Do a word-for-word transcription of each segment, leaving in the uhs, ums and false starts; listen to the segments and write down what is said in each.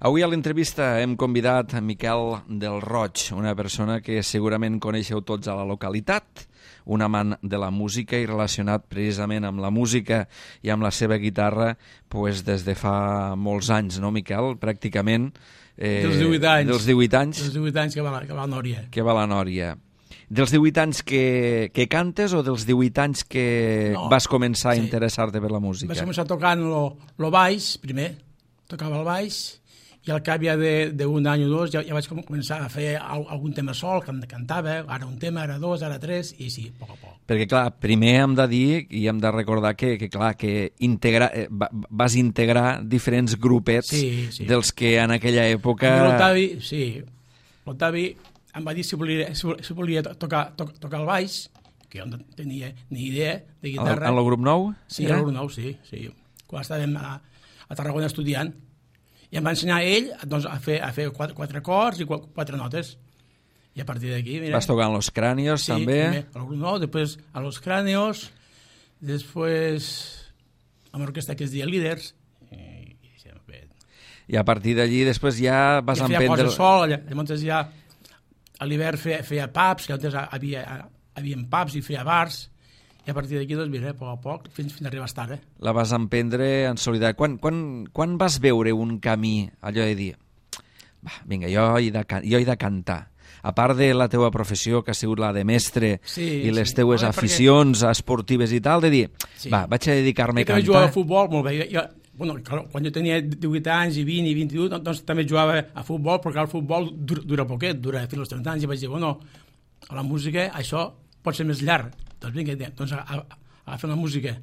Avui a l'entrevista hem convidat a Miquel del Roig, una persona que segurament coneixeu tots a la localitat, un amant de la música i relacionat precisament amb la música i amb la seva guitarra pues, des de fa molts anys, no, Miquel? Pràcticament... Eh, dels divuit anys. Dels divuit anys. Dels divuit anys que va, que va a Nòria. Que va a la Nòria. Dels divuit anys que, que cantes o dels divuit anys que no, vas començar sí. a interessar-te per la música? Vaig començar tocant el baix, primer, tocava el baix, i al cap ja d'un any o dos ja, ja vaig començar a fer algun tema sol, que cantava, ara un tema, ara dos, ara tres, i sí, a poc a poc. Perquè, clar, primer hem de dir i hem de recordar que, que clar, que integra, eh, vas integrar diferents grupets sí, sí. dels que en aquella època... L'Octavi, sí, l'Octavi em va dir si volia, si volia tocar, to, tocar el baix, que jo no tenia ni idea de guitarra. En el grup nou? Sí, en el grup nou, sí, sí. Quan estàvem a, a Tarragona estudiant. I em va ensenyar ell doncs, a fer, a fer quatre, quatre acords i quatre notes. I a partir d'aquí, mira... Vas tocar en Los Cranios, sí, també? Sí, al grup nou, després a Los Cranios, després amb l'orquestra que es deia Líders. I, i, I a partir d'allí després ja vas ja emprendre... Ja feia coses sol, llavors ja a l'hivern feia, feia pubs, que antes havia, havia pubs i feia bars, i a partir d'aquí, doncs, mira, a poc a poc, fins, fins a arribar a estar, eh? La vas emprendre en solidaritat. Quan, quan, quan vas veure un camí, allò de dir, va, vinga, jo he de, jo he de cantar, a part de la teua professió, que ha sigut la de mestre, sí, i les sí. teues Home, aficions perquè... esportives i tal, de dir, sí. va, vaig a dedicar-me a cantar. Jo jugava a futbol, molt bé. Jo, bueno, quan jo tenia divuit anys i vint i vint-i-u, doncs també jugava a futbol, perquè el futbol dura, dura poquet, dura fins als trenta anys, i vaig dir, bueno, a la música això pot ser més llarg. Doncs vinga, doncs a, a, a fer la música.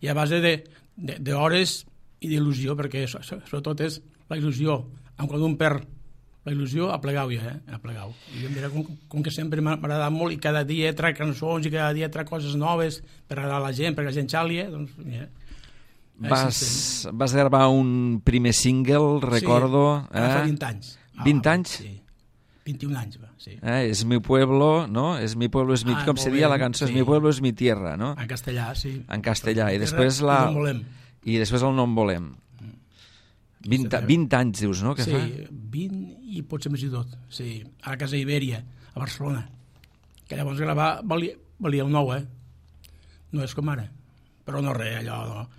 I a base d'hores i d'il·lusió, perquè sobretot és la il·lusió. Quan un perd la il·lusió, aplegau ja, eh? Aplegau. I jo, mira, com, com que sempre m'ha agradat molt i cada dia trac cançons i cada dia trac coses noves per agradar a la gent, perquè la gent xàlia, doncs, mira. Vas, vas gravar un primer single, recordo... Sí, eh? fa vint anys. vint anys? Sí. vint-i-un anys, va, sí. Eh, és mi pueblo, no? És mi pueblo, és mi... Ah, com se dia la cançó? Sí. És mi pueblo, és mi tierra, no? En castellà, sí. En castellà. I després la... No volem. I després el no en volem. vint, vint anys, dius, no? Que sí, fa? vint i potser més i tot. Sí, a la Casa Ibèria, a Barcelona. Que llavors gravar valia, valia un nou, eh? No és com ara. Però no res, allò... No.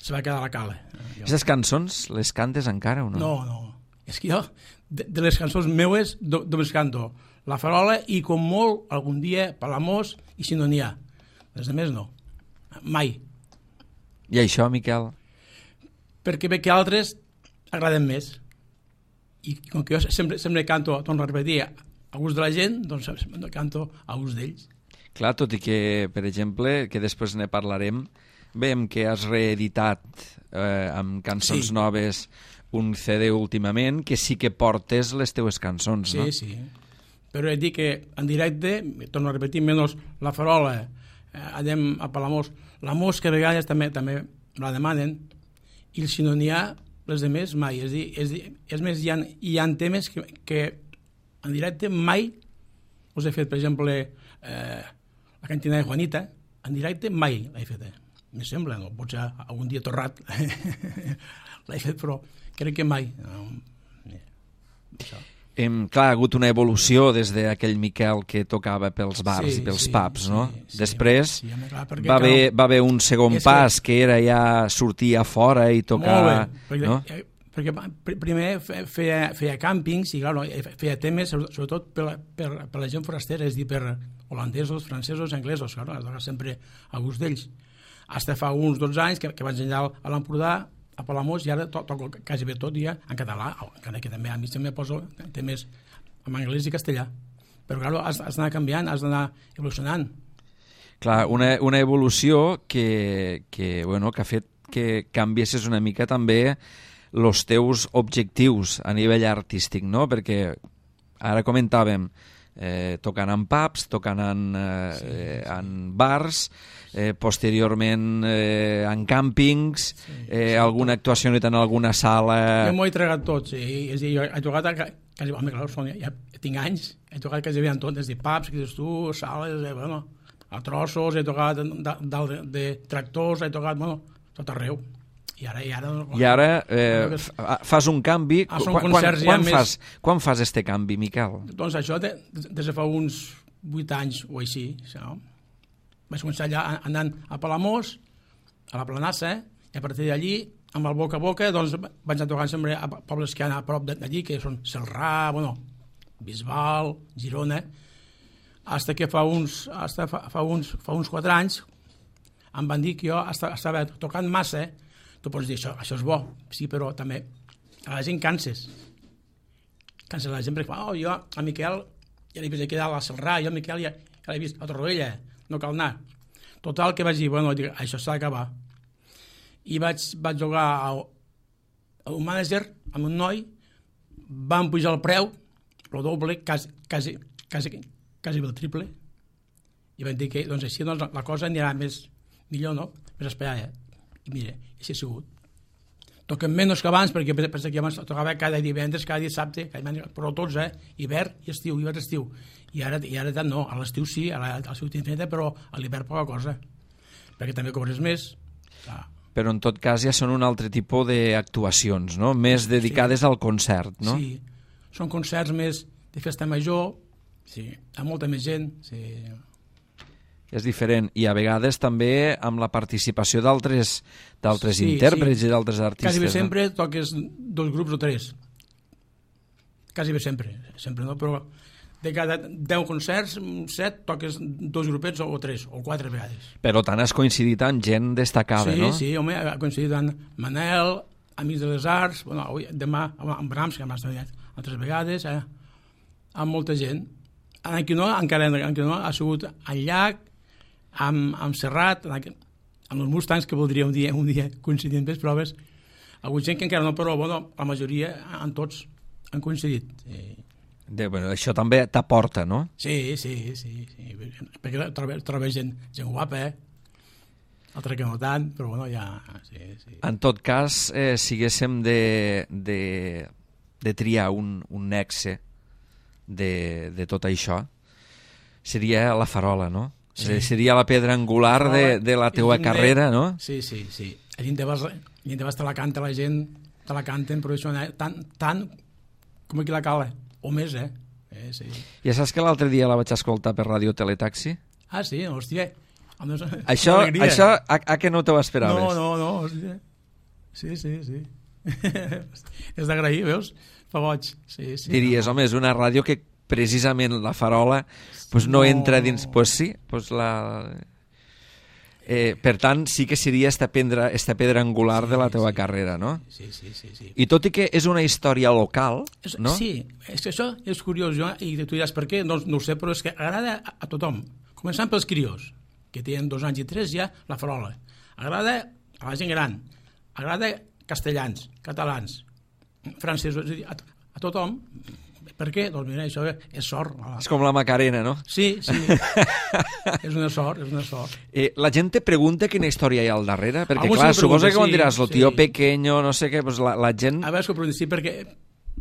Se va quedar a la cala. Aquestes cançons les cantes encara o no? No, no. És que jo, de, de les cançons meues, només canto La Farola i, com molt, algun dia, Palamós i Si no n'hi ha. Les altres no. Mai. I això, Miquel? Perquè ve que altres agraden més. I com que jo sempre, sempre canto, torno a repetir, a gust de la gent, doncs canto a gust d'ells. Clar, tot i que, per exemple, que després ne parlarem, veiem que has reeditat eh, amb cançons sí. noves un C D últimament, que sí que portes les teues cançons, sí, no? Sí, sí. Però he dit que en directe, torno a repetir, menys La Farola, eh, anem a Palamós, la Mosca a vegades també també la demanen, i si no n'hi ha, les demés mai. És, dir, és, dir, és més, hi ha, hi ha temes que, que en directe mai us he fet, per exemple, eh, la cantina de Juanita, en directe mai l'he fet, eh? Me sembla, no? Potser algun dia torrat l'he fet, però crec que mai. No, això. Hem, clar, ha hagut una evolució des d'aquell Miquel que tocava pels bars sí, i pels sí, pubs, no? Sí, sí, després sí, home, clar, perquè, va, haver, clar, va haver un segon pas que... que era ja sortir a fora i tocar... Molt bé, perquè, no? perquè primer feia, feia càmpings i clar, feia temes sobretot per, per, per la gent forastera, és dir, per holandesos, francesos, anglesos, clar, sempre a gust d'ells. Hasta fa uns dotze anys que, que vaig enllà a l'Empordà, a Palamós, i ara to, toco quasi bé tot ja en català, encara que també a mi també poso temes en anglès i castellà. Però clar, has, has d'anar canviant, has d'anar evolucionant. Clar, una, una evolució que, que, bueno, que ha fet que canviessis una mica també els teus objectius a nivell artístic, no? Perquè ara comentàvem eh, tocant en pubs, tocant en, eh, sí, sí. en bars, eh, posteriorment eh, en càmpings, sí, eh, sí, alguna actuació en alguna sala... Jo m'ho he tregat tot, sí. És a dir, jo he tocat, a, quasi, home, clar, són, ja tinc anys, he tocat quasi bé en tot, des de pubs, que dius tu, sales, eh, bueno, a trossos, he tocat de, de, de, de tractors, he tocat, bueno, tot arreu. I ara... I ara, I ara eh, fas un canvi. Ah, són quan, concerts quan, ja més... fas, quan fas este canvi, Miquel? Doncs això, de, des de fa uns vuit anys o així, no? Vaig començar allà anant a Palamós, a la Planassa, i a partir d'allí, amb el boca a boca, doncs vaig anar tocant sempre a pobles que hi ha a prop d'allí, que són Celrà, bueno, Bisbal, Girona, hasta que fa uns, hasta fa, fa uns, fa uns quatre anys em van dir que jo estava tocant massa. Tu pots dir, això, això és bo, sí, però també a la gent canses. Canses la gent perquè, oh, jo, a Miquel, ja l'he vist aquí dalt a Celrà, jo a Miquel ja, ja l'he vist a Torroella, no cal anar. Total, que vaig dir, bueno, dic, això s'ha d'acabar. I vaig, vaig jugar a, a un manager amb un noi, van pujar el preu, el doble, quasi, quasi, quasi, quasi el triple, i van dir que doncs, així doncs, la cosa anirà més millor, no? Més esperada. I mira, així ha sigut. Toquem menys que abans, perquè pensa que abans tocava cada divendres, cada dissabte, cada divendres, però tots, eh? Hivern i estiu, hivern i estiu. I ara, i ara tant no, a l'estiu sí, a l'estiu infinita, però a l'hivern poca cosa. Perquè també cobres més. Ah. Però en tot cas ja són un altre tipus d'actuacions, no? Més dedicades sí. al concert, no? Sí, són concerts més de festa major, sí, amb molta més gent, sí. És diferent, i a vegades també amb la participació d'altres d'altres sí, intèrprets sí. I d'altres artistes. Quasi bé no? sempre toques dos grups o tres. Quasi bé sempre, sempre no, però de cada deu concerts, set, toques dos grupets o tres, o quatre vegades. Però tant has coincidit amb gent destacada, sí, no? Sí, sí, home, ha coincidit amb Manel, Amics de les Arts, bueno, avui, demà amb Brahms, que m'ha estudiat altres vegades, eh, amb molta gent. En qui no, encara en qui no, ha sigut al Llac, amb, amb Serrat, amb, amb els Mustangs, que voldria un dia, un dia coincidir en les proves. Alguna gent que encara no, però bueno, la majoria, en tots, han coincidit. Sí. De, bueno, això també t'aporta, no? Sí, sí, sí, sí. Perquè trobo, trobo gent, gent guapa, eh? Altra que no tant, però bueno, ja... Sí, sí. En tot cas, eh, si haguéssim de, de, de triar un, un nexe de, de tot això, seria la farola, no? Sí. Seria la pedra angular la de, de la teua carrera, no? Sí, sí, sí. A dintre vas, vas te la canta la gent, te la canten, però això tant, tant com aquí la cala, o més, eh? eh sí. Ja saps que l'altre dia la vaig escoltar per Ràdio Teletaxi? Ah, sí? Hòstia. Això, això a, a què no t'ho esperaves? No, no, no, hòstia. Sí, sí, sí. És d'agrair, veus? Fa boig. Sí, sí, diries, no. Home, és una ràdio que precisament la farola pues no, no entra dins... Pues sí, pues la... Eh, per tant, sí que seria esta pedra, esta pedra angular sí, de la teva sí, carrera, no? Sí, sí, sí, sí. I tot i que és una història local, és, no? Sí, és que això és curiós, jo, i tu diràs per què, no, no ho sé, però és que agrada a, a tothom. Començant pels criós, que tenen dos anys i tres ja, la farola. Agrada a la gent gran, agrada castellans, catalans, francesos, a, a tothom. Per què? Doncs mira, això és sort. És com la Macarena, no? Sí, sí. És una sort, és una sort. Eh, la gent te pregunta quina història hi ha al darrere, perquè algú clar, suposa que quan sí, diràs lo tío sí. pequeño, no sé què, pues la, la gent... A veure, que sí, perquè,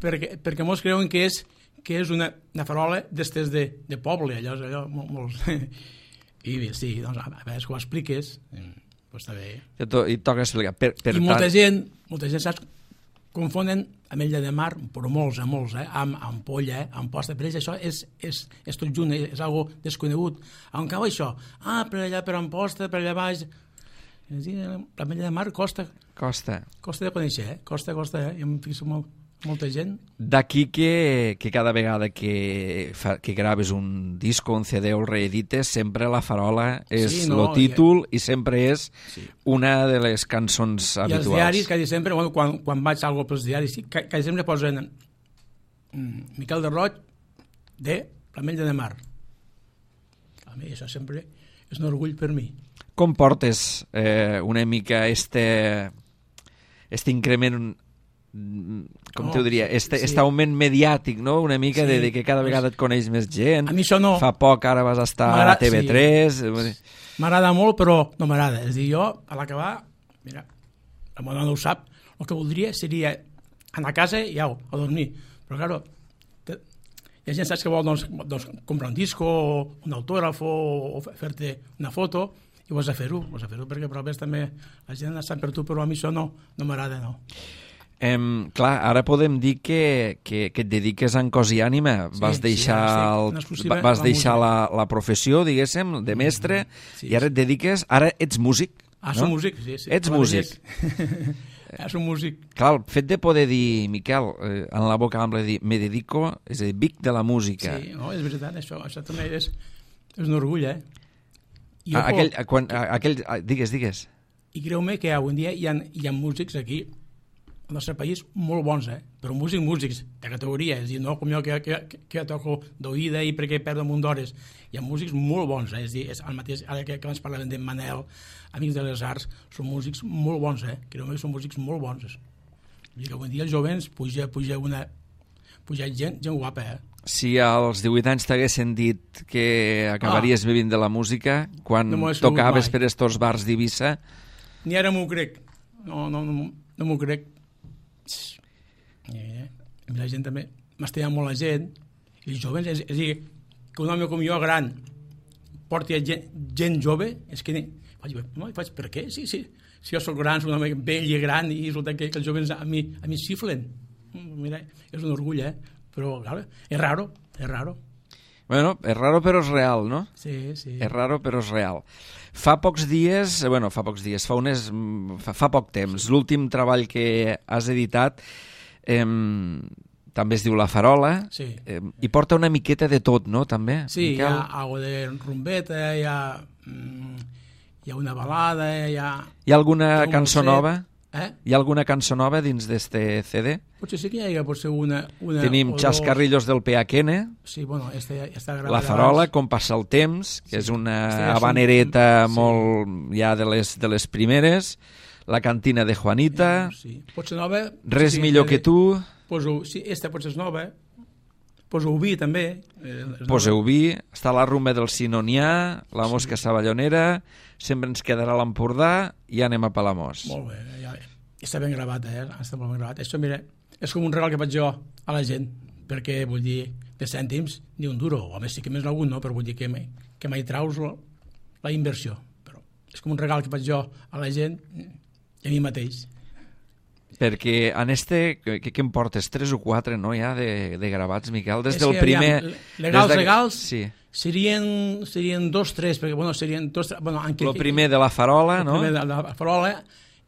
perquè, perquè molts creuen que és, que és una, una farola d'estes de, de poble, allò, allò molts... I bé, sí, doncs a veure, que ho expliques, doncs està bé. I, to, i toca explicar. Per, per I molta tant... gent, molta gent, saps, confonen ametlla de mar, però molts, eh, molts, eh, amb ampolla, eh, amb posta. Per ells això és, és, és tot junt, és, és algo desconegut. On cau això? Ah, per allà, per Amposta, per allà baix. L'ametlla de mar costa. Costa. Costa de conèixer, eh? Costa, costa, eh? Jo em fixo molt, molta gent. D'aquí que, que cada vegada que, fa, que graves un disco, un C D o el reedites, sempre la farola és sí, no, el títol i, i sempre és sí. Una de les cançons habituals. I els diaris, quasi sempre, bueno, quan, quan vaig algo pels diaris, quasi sempre posen mm, Miquel de Roig de l'Ametlla de Mar. A mi això sempre és un orgull per mi. Com portes eh, una mica este, este increment, com oh, t'ho diria, este, sí. este augment mediàtic, no? Una mica sí, de, de que cada vegada et coneix més gent. A mi això no. Fa poc ara vas estar a T V tres. Sí. M'agrada molt, però no m'agrada. És a dir, jo, a l'acabar, mira, la meva no ho sap, el que voldria seria anar a casa i au, a dormir. Però, claro, te, hi ha gent saps que vol doncs, doncs, comprar un disco, o un autògraf, o, o fer-te una foto, i vas a fer-ho, vas a fer-ho, perquè però ves també la gent està per tu, però a mi això no, no m'agrada, no. Em, clar, ara podem dir que, que, que et dediques en cos i ànima. Sí, vas deixar, sí, el, vas la deixar la, la professió, diguéssim, de mestre, sí, i ara et dediques... Ara ets músic, ah, no? som músic, sí. sí. Ets músic. Ah, som músic. Clar, el fet de poder dir, Miquel, eh, en la boca ampla, dir, me dedico, és a dir, vic de la música. Sí, no, és veritat, això, això també és, és un orgull, eh? I, A, aquell, a, quan, a, aquell, a, digues, digues. I creu-me que avui en dia hi ha, hi ha músics aquí, al nostre país, molt bons, eh? Però músics, músics, de categoria, és a dir, no com jo que, que, que toco d'oïda i perquè perdo un munt d'hores. Hi ha músics molt bons, eh? És a dir, és el mateix, ara que, que abans parlàvem de Manel, Amics de les Arts, són músics molt bons, eh? Creu-me que són músics molt bons. I que avui en dia els jovens puja, puja una... puja gent, gent guapa, eh? Si als divuit anys t'haguessin dit que acabaries ah. vivint de la música, quan no tocaves per estos bars d'Eivissa... Ni ara m'ho crec. No, no, no, no m'ho crec. Eh, la gent també m'estima molt la gent, i els joves, és, és a dir, que un home com jo gran porti gent, gent jove, és que faig, no, faig per què? Sí, sí, si jo soc gran, soc un home vell i gran, i resulta que, que els joves a mi, a mi xiflen. Mira, és un orgull, eh? Però, clar, és raro, és raro. Bueno, és raro però és real, no? Sí, sí. És raro però és real. Fa pocs dies, bueno, fa pocs dies, fa, unes, fa, fa poc temps, sí. L'últim treball que has editat eh, també es diu La Farola, sí. eh, i porta una miqueta de tot, no?, també? Sí, Miquel? Hi ha algo de rumbeta, hi ha, hi ha una balada, hi ha... Hi ha alguna cançó nova? Eh? Hi ha alguna cançó nova dins d'este C D? Potser sí que hi ha potser una... una Tenim Chascarrillos del Peaquene, sí, bueno, este està gravat La Farola, Com passa el temps, que sí, és una ja habanereta un... molt sí. ja de les, de les primeres, La cantina de Juanita, eh, sí. Potser nova... Res sí, millor que tu... Poso, sí, esta potser és nova, Poseu vi també. Eh, Poseu vi, està la rumba del Sinonià, La mosca sí. savallonera, Sempre ens quedarà l'Empordà i anem a Palamós. Molt bé, ja, està ben gravat, eh? Està molt ben gravat. Això, mira, és com un regal que faig jo a la gent, perquè, vull dir, de cèntims, ni un duro, o a més sí que més algun, no? Però vull dir que mai, que mai traus la, la inversió. Però és com un regal que faig jo a la gent i a mi mateix. Perquè en este, què, què em portes? Tres o quatre, no, ja, de, de gravats, Miquel? Des del primer... Legals, de... legals, sí. serien, serien dos, tres, perquè, bueno, serien dos... Bueno, en el primer de La Farola, no? El primer de La Farola,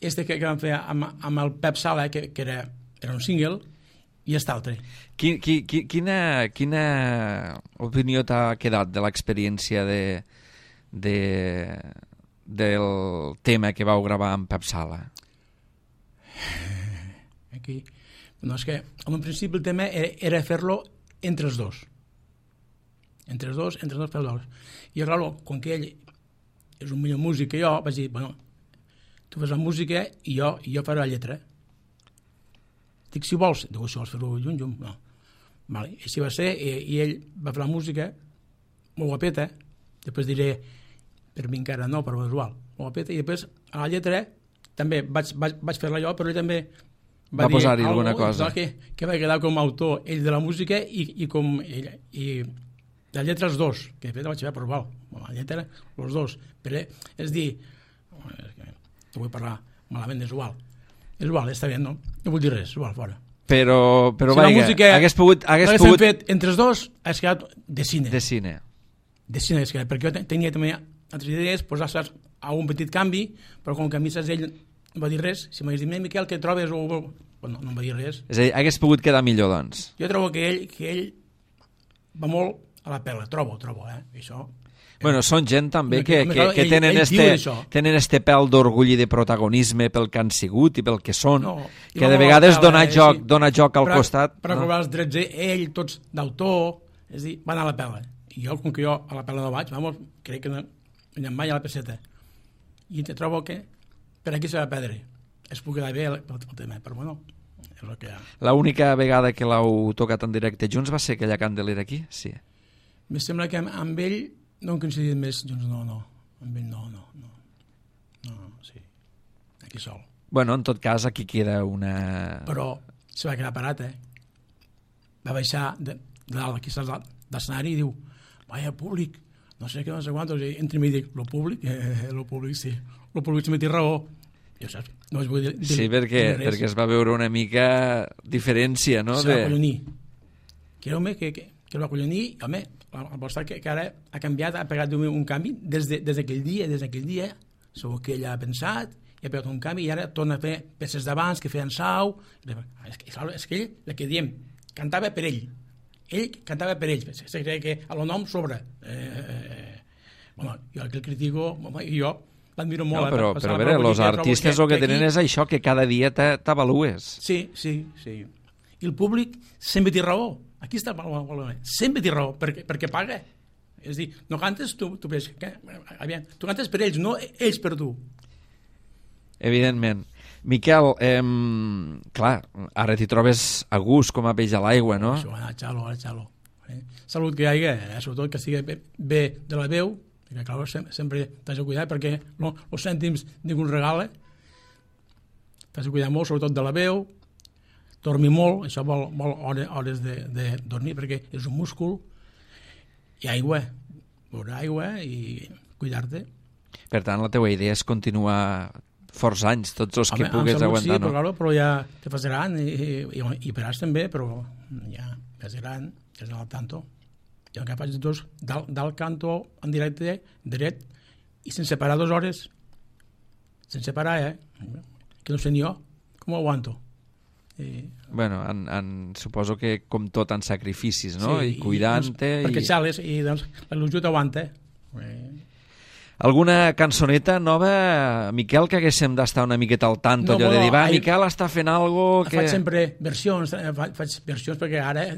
este que, que vam fer amb, amb el Pep Sala, que, que era, era un single, i està altre. Qui, qui, qui, quina, quina opinió t'ha quedat de l'experiència de, de, del tema que vau gravar amb Pep Sala? Aquí. No, és que en un principi el tema era, era fer-lo entre els dos. Entre els dos, entre els dos fer-lo. I clar, com que ell és un millor músic que jo, vaig dir, bueno, tu fas la música i jo, i jo faré la lletra. Dic, si vols, dic, si vols fer-ho junt, junt, no. Vale. I així va ser, i, i ell va fer la música, molt guapeta, després diré, per mi encara no, però visual, molt guapeta, i després a la lletra també vaig, vaig, vaig fer-la jo, però ell també va, va posar-hi alguna cosa. Que, que va quedar com a autor ell de la música i, i com ell, i la lletra els dos, que de fet vaig fer, però val, la lletra els dos, però és dir, no vull parlar malament, és igual, és igual, està bé, no? No vull dir res, és igual, fora. Però, però si vaja, música, hagués pogut... Hagués pogut... fet entre els dos, hagués quedat de cine. De cine. De cine hagués quedat, perquè jo tenia també altres idees, posar saps, a un petit canvi, però com que a mi saps, ell no va dir res, si m'hagués dit, Miquel, què trobes? O... Bueno, no em va dir res. És a dir, hagués pogut quedar millor, doncs. Jo trobo que ell, que ell va molt a la pela, trobo, trobo, eh? Això... Bueno, són gent també que, que, que ell, tenen, ell este, tenen este pèl d'orgull i de protagonisme pel que han sigut i pel que són, no, que de vegades pela, dona, eh, joc, sí. dona joc al per, costat. Per no? aprovar els drets ell, tots d'autor, és a dir, van a la pela. I jo, com que jo a la pela no vaig, vamos, crec que no anem mai a la peseta. I te trobo que per aquí s'ha de perdre. Es pugui quedar bé el, el, el tema, però bueno, és el que hi ha. L'única vegada que l'heu tocat en directe junts va ser aquella Candelera aquí? Sí. Me sembla que amb, amb ell no hem coincidit més junts, no, no. Amb ell no, no, no. No, no, sí. Aquí sol. Bueno, en tot cas, aquí queda una... Però se va quedar parat, eh? Va baixar de, de dalt, aquí estàs de l'escenari i diu, vaya públic, no sé què, no sé quant, entre mi dic, lo públic, eh, lo públic sí, lo públic se m'ha dit raó. Jo saps, no es vull dir, dir Sí, perquè, dir perquè es va veure una mica diferència, no? Se va De... acollonir. Creu-me que, que, que el va acollonir, home, el vostre que, que ara ha canviat, ha pegat un, un canvi des d'aquell de, des dia, des d'aquell dia, segur que ell ha pensat, i ha pegat un canvi, i ara torna a fer peces d'abans que feien sau. És que, és que ell, el que diem, cantava per ell. Ell cantava per ell. Se creu que a lo nom sobre. Eh, eh, bueno, jo el que el critico, jo l'admiro molt. No, però, eh, però a veure, els artistes el que, que tenen és això, que cada dia t'avalues. Sí, sí, sí. I el públic sempre té raó. Aquí està el problema. Sempre té raó, perquè, perquè paga. És a dir, no cantes tu, tu, que, aviam, tu cantes per ells, no ells per tu. Evidentment. Miquel, eh, clar, ara t'hi trobes a gust com a peix a l'aigua, no? Això, a xalo, a xalo. Eh? Salut que hi hagi, eh? Sobretot que estigui bé de la veu, perquè clar, sempre t'has de cuidar, perquè no, els cèntims ningú regala, t'has de cuidar molt, sobretot de la veu, dormir molt, això vol, vol hores, hores de, de dormir, perquè és un múscul, i aigua, beure aigua i cuidar-te. Per tant, la teva idea és continuar forts anys, tots els que Home, pugues salut, aguantar, sí, no? però, claro, però ja te fas gran i, i, i, i per també, però ja és gran, és al tanto. Jo encara faig dos dalt, dalt canto en directe, dret, i sense parar dues hores. Sense parar, eh? Que no sé ni jo, com ho aguanto. I... Bueno, en, en, suposo que com tot en sacrificis, no? Sí, I cuidant-te... I, perquè i... xales, i doncs l'il·lusió t'aguanta. Eh? Alguna cançoneta nova, Miquel, que haguéssim d'estar una miqueta al tanto, No, allò de bueno, dir, va, ahir- Miquel està fent algo que... Faig sempre versions, eh, fa- faig versions perquè ara eh,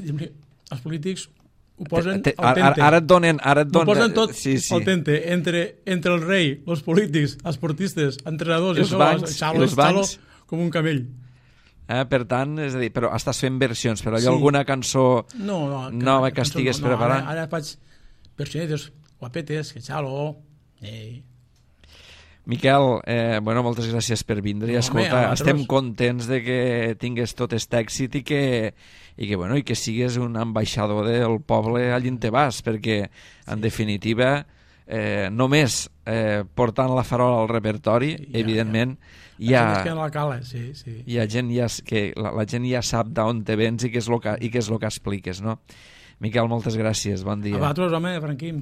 els polítics ho posen Te- te- al ara, tente. ara et donen... Ara et Ho donen... posen tot sí, sí. al tente, entre, entre el rei, els polítics, els portistes, entrenadors, Els això, bancs, xalo, i els xalo bancs. com un camell. Eh? Per tant, és a dir, però estàs fent versions, però hi ha Sí. alguna cançó No, no, nova que cançó estigues no, no, preparant? Ara, ara faig versionetes guapetes, que xalo... Eh. Miquel, eh, bueno, moltes gràcies per vindre i No, escolta, home, a estem vosaltres. contents de que tingues tot aquest èxit i que, i que, bueno, i que sigues un ambaixador del poble allí on te vas, perquè en definitiva eh, només eh, portant la farola al repertori, Ja, evidentment hi Ja. ha, Que no la cala, sí, sí. hi ha gent ja, que la, la gent ja sap d'on te vens i què és el que, i què és el que expliques, no? Miquel, moltes gràcies, bon dia. A vosaltres, home, Franquim.